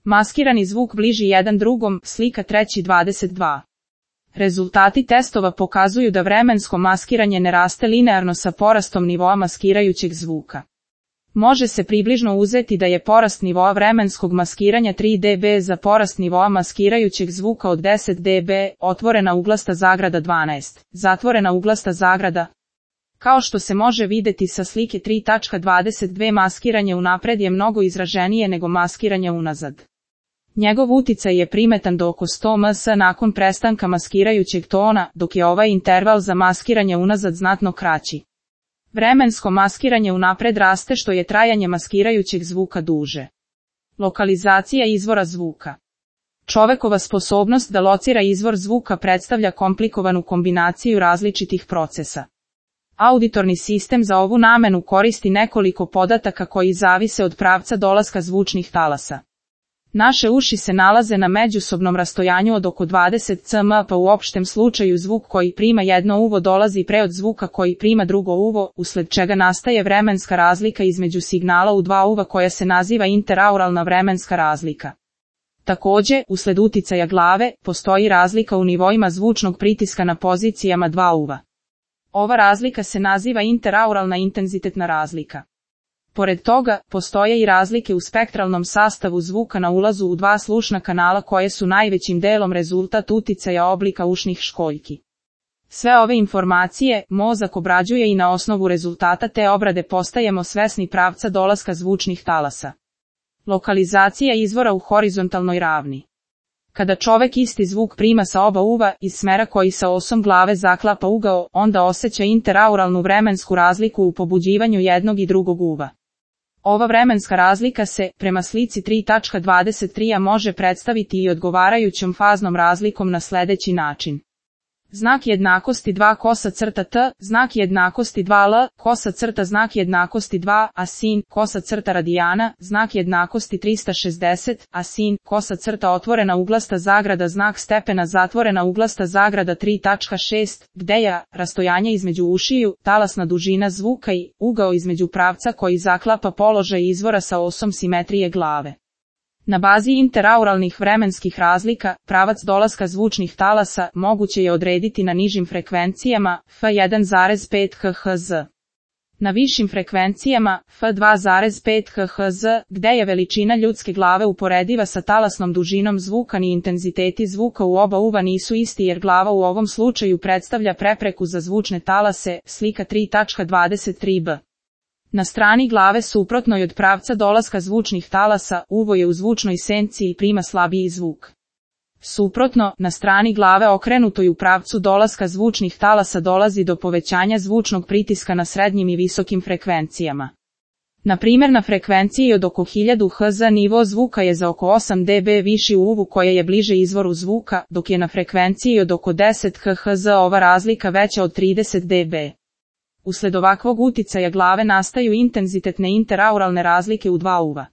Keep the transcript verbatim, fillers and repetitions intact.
Maskirani zvuk bliži jedan drugom, slika treći dvadeset dva. Rezultati testova pokazuju da vremensko maskiranje ne raste linearno sa porastom nivoa maskirajućeg zvuka. Može se približno uzeti da je porast nivoa vremenskog maskiranja tri decibela za porast nivoa maskirajućeg zvuka od deset decibela, otvorena uglasta zagrada dvanaest, zatvorena uglasta zagrada. Kao što se može vidjeti sa slike tri dvadeset dva, maskiranje unapred je mnogo izraženije nego maskiranje unazad. Njegov uticaj je primetan do oko sto mS nakon prestanka maskirajućeg tona, dok je ovaj interval za maskiranje unazad znatno kraći. Vremensko maskiranje unapred raste što je trajanje maskirajućeg zvuka duže. Lokalizacija izvora zvuka. Čovekova sposobnost da locira izvor zvuka predstavlja komplikovanu kombinaciju različitih procesa. Auditorni sistem za ovu namenu koristi nekoliko podataka koji zavise od pravca dolaska zvučnih talasa. Naše uši se nalaze na međusobnom rastojanju od oko dvadeset centimetara, pa u opštem slučaju zvuk koji prima jedno uvo dolazi pre od zvuka koji prima drugo uvo, usled čega nastaje vremenska razlika između signala u dva uva koja se naziva interauralna vremenska razlika. Takođe, usled uticaja glave, postoji razlika u nivoima zvučnog pritiska na pozicijama dva uva. Ova razlika se naziva interauralna intenzitetna razlika. Pored toga, postoje i razlike u spektralnom sastavu zvuka na ulazu u dva slušna kanala koje su najvećim delom rezultat uticaja oblika ušnih školjki. Sve ove informacije mozak obrađuje i na osnovu rezultata te obrade postajemo svesni pravca dolaska zvučnih talasa. Lokalizacija izvora u horizontalnoj ravni. Kada čovek isti zvuk prima sa oba uva iz smera koji sa osom glave zaklapa ugao, onda osjeća interauralnu vremensku razliku u pobuđivanju jednog i drugog uva. Ova vremenska razlika se, prema slici tri dvadeset tri, može predstaviti i odgovarajućom faznom razlikom na sledeći način. Znak jednakosti dva kosa crta t, znak jednakosti dva l, kosa crta znak jednakosti dva, a sin, kosa crta radijana, znak jednakosti trista šezdeset, a sin, kosa crta otvorena uglasta zagrada znak stepena zatvorena uglasta zagrada tri šest, gde je rastojanje između ušiju, talasna dužina zvuka i ugao između pravca koji zaklapa položaj izvora sa osom simetrije glave. Na bazi interauralnih vremenskih razlika, pravac dolaska zvučnih talasa moguće je odrediti na nižim frekvencijama F jedan zarez pet hertz. Na višim frekvencijama F dva zarez pet hertz, gde je veličina ljudske glave uporediva sa talasnom dužinom zvuka, ni intenziteti zvuka u oba uva nisu isti jer glava u ovom slučaju predstavlja prepreku za zvučne talase, slika tri dvadeset tri b. Na strani glave suprotnoj od pravca dolaska zvučnih talasa, uvo je u zvučnoj senci i prima slabiji zvuk. Suprotno, na strani glave okrenutoj u pravcu dolaska zvučnih talasa dolazi do povećanja zvučnog pritiska na srednjim i visokim frekvencijama. Na primjer, na frekvenciji od oko hiljadu hertz nivo zvuka je za oko osam decibela viši u uvu koje je bliže izvoru zvuka, dok je na frekvenciji od oko deset hertz ova razlika veća od trideset decibela. Usled ovakvog uticaja glave nastaju intenzitetne interauralne razlike u dva uva.